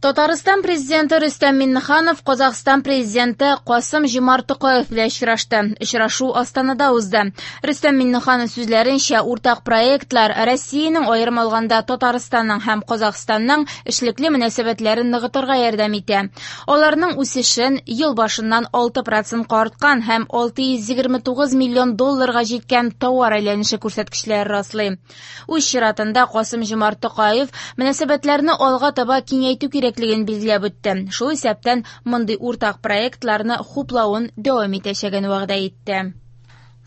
Татарстан Президенты Рөстәм Миңнеханов Казахстан Президенты Касым Җомарт Токаев белән очрашты. Очрашу Астанада узды. Рөстәм Миңнеханов сүзләренчә, уртак проектлар Россиянең, аерым алганда Татарстанның һәм Казахстанның эшлекле мөнәсәбәтләрен ныгытырга ярдәм итә. Аларның үсешен ел башыннан 6 процентка арткан һәм 629 миллион долларга җиткән товар әйләнеше күрсәткечләре раслый. Үз чиратында Касым Җомарт Токаев мөнәсәбәтләрне алга таба киңәйтү кирәклеген билгеләп үтте. Шул исәптән мондый уртак проектларны хуплавын дәвам итәчәген вәгъдә итте.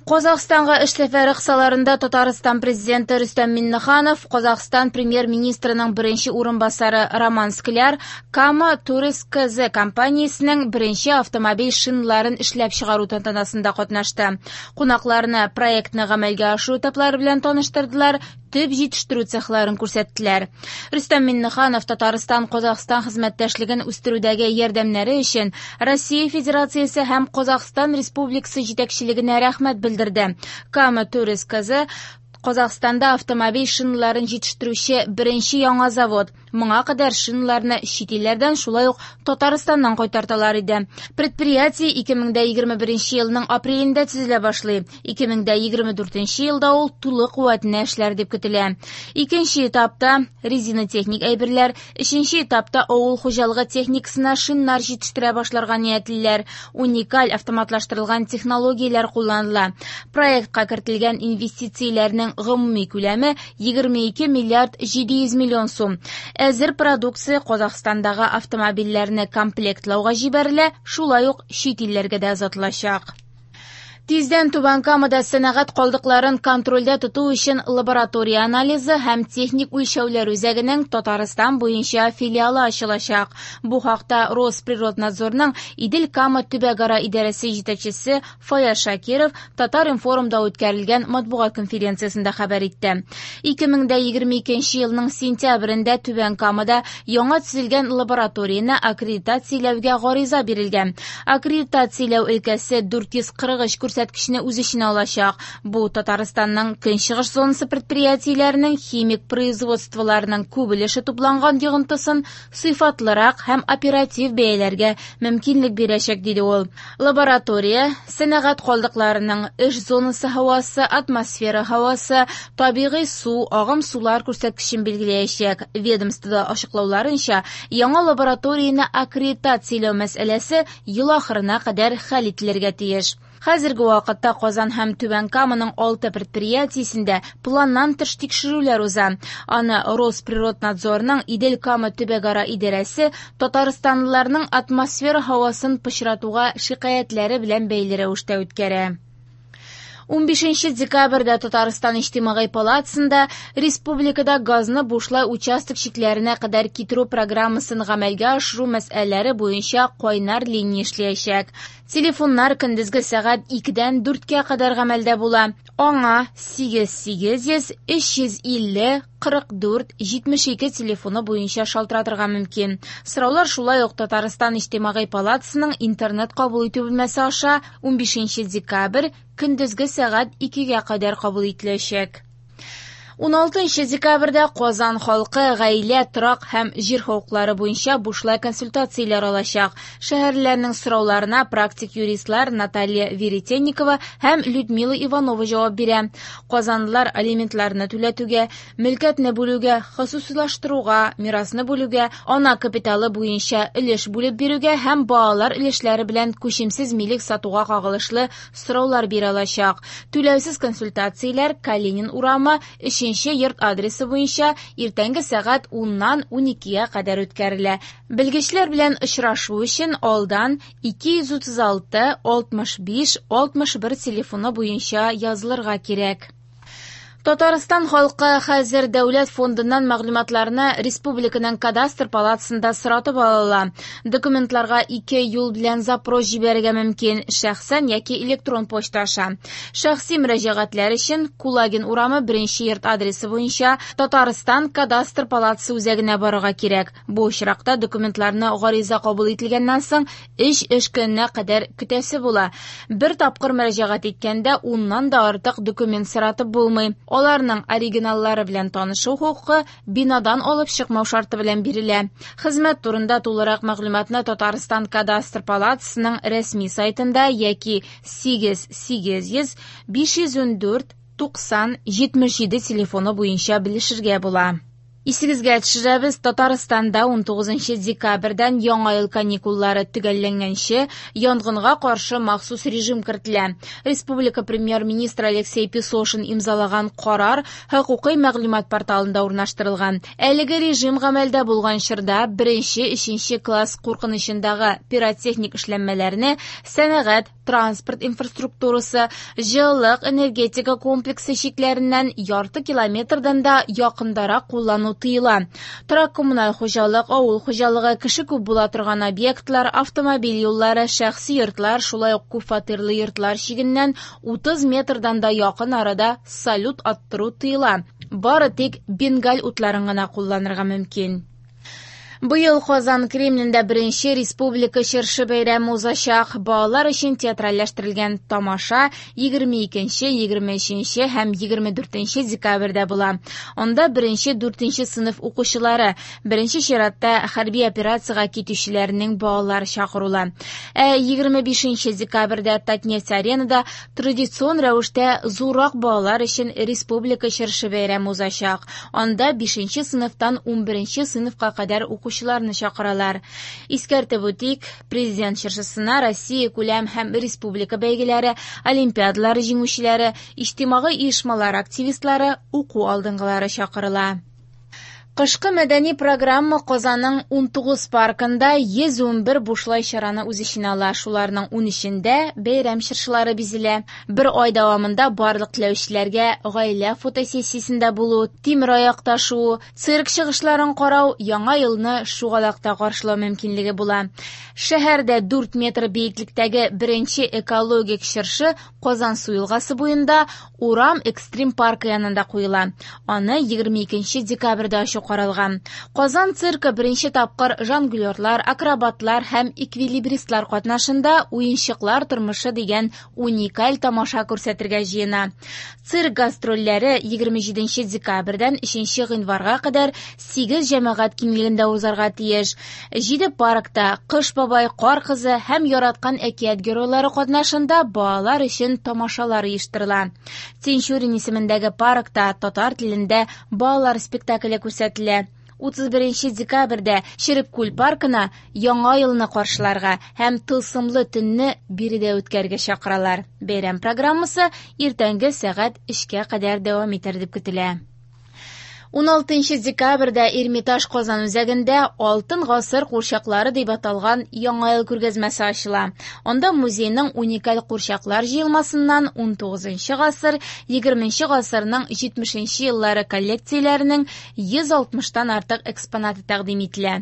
Казахстанга эш сәфәре кысаларында Татарстан Президенты Рөстәм Миңнеханов, Казахстан Премьер-министрының беренче урынбасары Роман Скляр Кама Турис КЗ компаниясенең беренче автомобиль шиналарын эшләп чыгару тантанасында катнашты. Кунакларны проектны гамәлгә ашыру этаплары белән таныштырдылар, төп җитештерү цехларын күрсәттеләр. Рөстәм Миңнеханов Татарстан-Казахстан хезмәттәшлеген үстерүдәге ярдәмнәре өчен Россия Федерациясе һәм Казахстан Республикасы җитәкчелегенә рәхмәт белдерде. Кама Турис КЗ Казахстанда автомобиль шиналарын җитештерүче беренче яңа завод. Моңа кадәр шиналарны чит илләрдән, шулай ук Татарстаннан кайтарталар иде. Предприятие 2021 елның апрелендә төзелә башлый. 2024 елда ул тулы куәтенә эшләр дип көтелә. Икенче этапта резинотехник әйберләр, өченче этапта авыл хуҗалыгы техникасына шиннар җитештерә башларга ниятлиләр. Уникаль автоматлаштырылган технологияләр кулланыла. Проектка кертелгән инвестицияләрнең гомуми күләме 22 миллиард 700 миллион сум. Әзер продукция Казахстандагы автомобильләрне комплектлауга җибәрелә, шулай ук чит илләргә дә озатылачак. Тиздән Түбән Камада сәнәгать калдыкларын контрольдә тоту өчен лаборатория анализы һәм техник үлчәүләр үзәгенең Татарстан буенча филиалы ачылачак. Бу хакта Росприроднадзорның Идел-Кама төбәкара идарәсе җитәкчесе Фаяз Шакиров Татар-информда үткәрелгән матбугат конференциясендә хәбәр итте. 2022 елның сентябрендә Түбән Камада яңа төзелгән лабораторияне аккредитацияләүгә гариза бирелгән. Аккредитацияләү өлкәсе 443 күрсәткечне үз эченә алачак. Бу Татарстанның көнчыгыш зонасы предприятиеләренең химик производстволарының күп өлеше тупланган йогынтысын сыйфатлырак һәм оператив бәяләргә мөмкинлек бирәчәк, диде ул. Лаборатория сәнәгать калдыкларының эш зонасы һавасы, атмосфера һавасы, табигый су, агым сулар күрсәткечен билгеләячәк. Ведомствода ачыклауларынча, яңа лабораторияне аккредитацияләү мәсьәләсе ел ахырына кадәр хәл ителергә тиеш. Хәзерге вакытта Казан һәм Түбән Каманың 6 предприятиесендә планнан тыш тикшерүләр уза. Аны Росприроднадзорның Идел-Кама төбәкара идарәсе татарстанлыларның атмосфера һавасын пычратуга шикаятьләре белән бәйле рәвештә үткәрә. 15 декабрьдә Татарстан Иҗтимагый палатасында республикада газны бушлай участок чикләренә кадәр китерү программасын гамәлгә ашыру мәсьәләләре буенча кайнар линия эшләячәк. Телефоннар көндезге сәгать 2-дән 4-кә кадәр гамәлдә була. Аңа 8800 350 44 72 телефоны буенча шалтыратырга мөмкин. Сораулар шулай ук Татарстан Иҗтимагый палатасының интернет кабул итү бүлмәсе аша 15 декабрь көндезге сәгать 2-гә кадәр кабул ителәчәк. 16 декабрьдә Казан халкы гаилә, торак һәм җир хокуклары буенча бушлай консультацияләр алачак. Шәһәрлеләрнең сорауларына практик юристлар Наталья Веретенникова һәм Людмила Иванова җавап бирә. Казанлылар алиментларны түләтүгә, мөлкәтне бүлүгә, хосусыйлаштыруга, мирасны бүлүгә, ана капиталы буенча өлеш бүлеп бирүгә һәм балалар өлешләре белән күчемсез милек сатуга кагылышлы сораулар бирә алачак. Түләүсез консультацияләр Калинин урамы 3 йорт адресы буенча иртәнге сәгать 10-нан 12-гә кадәр үткәрелә. Белгечләр белән очрашу өчен алдан 236 65 61 телефоны буенча язылырга кирәк. Татарстан халкы хәзер дәүләт фондыннан мәгълүматларны республиканың кадастр палатасында соратып ала ала. Документларга ике юл белән запрос җибәрергә мөмкин: шәхсән яки электрон почта аша. Шәхси мөрәҗәгатьләр өчен Кулагин урамы 1 йорт адресы буенча Татарстан кадастр палатасы үзәгенә барырга кирәк. Бу очракта документларны гариза кабул ителгәннән соң 3 эш көненә кадәр көтәсе була. Бер тапкыр мөрәҗәгать иткәндә 10-нан да артык документ соратып булмый. Аларның оригиналлары белән танышу хокукы бинадан алып чыкмау шарты белән бирелә. Хезмәт турында тулырак мәгълүматны Татарстан Кадастр палатасының рәсми сайтында яки 8 800 514 90 77 телефоны буенча белешергә була. Исегезгә төшерәбез, Татарстанда 19 декабрьдән Яңа ел каникуллары төгәлләнгәнче янгынга каршы махсус режим кертелә. Республика премьер-министры Алексей Песошин имзалаган карар хокукый мәгълүмат порталында урнаштырылган. Әлеге режим гамәлдә булган чорда беренче, өченче класс куркынычындагы пиротехник эшләнмәләрне сәнәгать, транспорт инфраструктурасы, җылылык, энергетика комплексы чикләреннән ярты километрдан да якындарак куллану тыела. Торак-коммуналь хуҗалык, авыл хуҗалыгы, кеше күп була торган объектлар, автомобиль юллары, шәхси йортлар, шулай ук күпфатирлы йортлар чигеннән 30 метрдан да якын арада салют аттыру тыела. Бары тик бенгаль утларын гына кулланырга мөмкин. Быел Казан Кремлендә беренче республика чыршы бәйрәме узачак. Балалар өчен театральләштерелгән тамаша 22, 23 һәм 24 декабрьдә була. Анда беренче, дүртенче сыйныф укучылары, беренче чиратта хәрби операциягә китүчеләрнең балалары чакырыла. Ә 25 декабрьдә Татнефть-аренада традицион рәвештә зуррак балалар өчен республика чыршы бәйрәме узачак. Анда 5 сыйныфтан 11 сыйныфка кадәр укучыларны чакыралар. Искәртеп үтик, президент чыршысына Россия күләм һәм республика бәйгеләре, олимпиадалары җиңүчеләре, иҗтимагый оешмалар активистлары, уку алдынгылары чакырыла. Кышкы мәдәни программа Казанның 19 паркында 111 бушлай чараны үз эченә ала. Шуларның 13-ндә бәйрәм чыршылары бизелә. Бер ай дәвамында барлык теләүчеләргә гаилә фотосессиясендә булу, тимер аякта шуу, цирк чыгышларын карау, яңа елны шугалакта каршылау мөмкинлеге була. Шәһәрдә 4 метр биеклектәге беренче экологик чыршы Казансу елгасы буенда Урам экстрим паркы янында куела. Аны 22 декабрьдә ачу каралган. Казан циркы беренче тапкыр жонглерлар, акробатлар һәм эквилибристлар катнашында уенчыклар тормышы дигән уникаль тамаша күрсәтергә җыена. Цирк гастрольләре 27 декабрьдән 3 гыйнварга кадәр 8 җәмәгать киңлегендә узарга тиеш. 7 паркта Кыш бабай, Кар кызы һәм яраткан әкият геройлары катнашында балалар өчен тамашалар оештырыла. Тинчурин исемендәге паркта татар телендә балалар спектакле күрсәтелә. 31 декабрьдә Череккүл паркына Яңа елны каршыларга һәм тылсымлы төнне биредә үткәрергә чакыралар. Бәйрәм программасы иртәнге сәгать 3-кә кадәр дәвам итәр дип көтелә. 16 декабрьдә Эрмитаж Казан үзәгендә Алтын гасыр курчаклары дип аталган Яңа ел күргәзмәсе ачыла. Анда музейның уникаль курчаклар җыелмасыннан 19 гасыр, 20 гасырның 70 еллары коллекцияләренең 160-тан артык экспонаты тәкъдим ителә.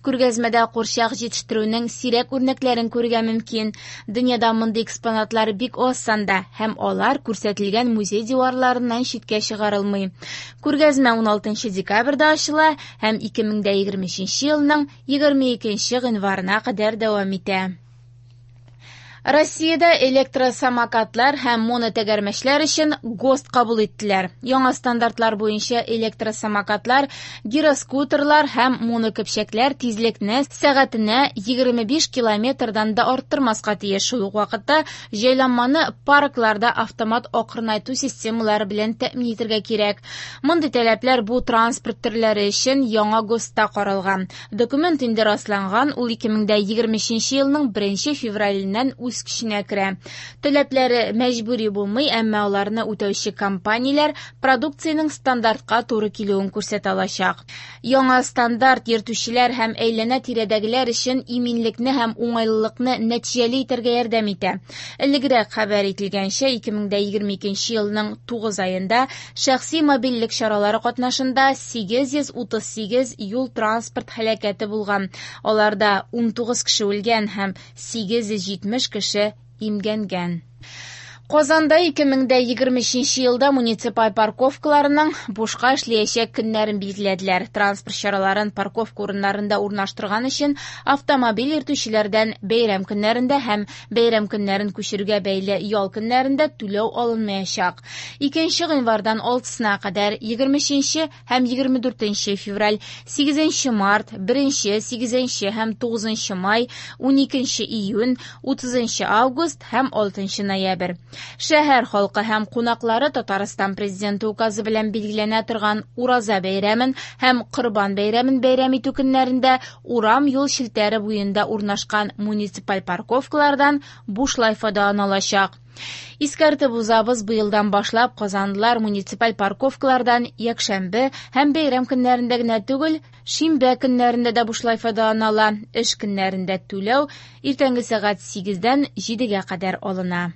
Күргәзмәдә курчак җитештерүнең сирәк үрнәкләрен күрергә мөмкин. Дөньяда мондый экспонатлар бик аз санда һәм алар күрсәтелгән музей диварларыннан читкә чыгарылмый. Күргәзмә 16 декабрьдә ачыла һәм 2023 елның 22 гыйнварына кадәр дәвам итә. Россиядә электросамокатлар һәм монотәгәрмәчләр өчен ГОСТ кабул иттеләр. Яңа стандартлар буенча электросамокатлар, гироскутерлар һәм монокөпчәкләр тизлекне сәгатенә 25 километрдан да арттырмаска тиеш. Шул ук вакытта җайланманы паркларда автомат акрынайту системалары белән тәэмин итәргә кирәк. Мондый таләпләр бу транспорт төрләре өчен яңа ГОСТта каралган. Документ инде расланган, ул 2023 елның 1 февраленнән үз көченә керә. Таләпләре мәҗбүри булмый, әмма аларны үтәүче компанияләр продукциянең стандартка туры килүен күрсәтә алачак. Яңа стандарт йөртүчеләр һәм әйләнә-тирәдәгеләр өчен иминлекне һәм уңайлылыкны нәтиҗәле итәргә ярдәм итә. Элегрәк хәбәр ителгәнчә, 2022 елның 9 аенда шәхси мобильлек чаралары катнашында 838 юл-транспорт һәлакәте булган. Аларда 19 кеше үлгән һәм 870 кеше имгәнгән. Казанда 2023 елда муниципаль парковкаларның бушка эшләячәк көннәрен билгеләделәр. Транспорт чараларын парковка урыннарында урнаштырган өчен автомобиль йөртүчеләрдән бәйрәм көннәрендә һәм бәйрәм көннәрен күчерүгә бәйле ял көннәрендә түләү алынмаячак. 2 гыйнвардан 6-сына кадәр 23 һәм 24 февраль, 8 март, 1, 8 һәм 9 май, 12 июнь, 30 август һәм 6 ноябрь. Шәһәр халкы һәм кунаклары Татарстан Президенты указы белән билгеләнә торган Ураза бәйрәмен һәм Корбан бәйрәмен бәйрәм итү көннәрендә урам юл челтәре буенда урнашкан муниципаль парковкалардан бушлай файдалана алачак. Искәртеп узабыз, быелдан башлап казанлылар муниципаль парковкалардан якшәмбе һәм бәйрәм көннәрендә генә түгел, шимбә көннәрендә дә бушлай файдалана ала. Эш көннәрендә түләү иртәнге сәгать 8-дән 7-гә кадәр алына.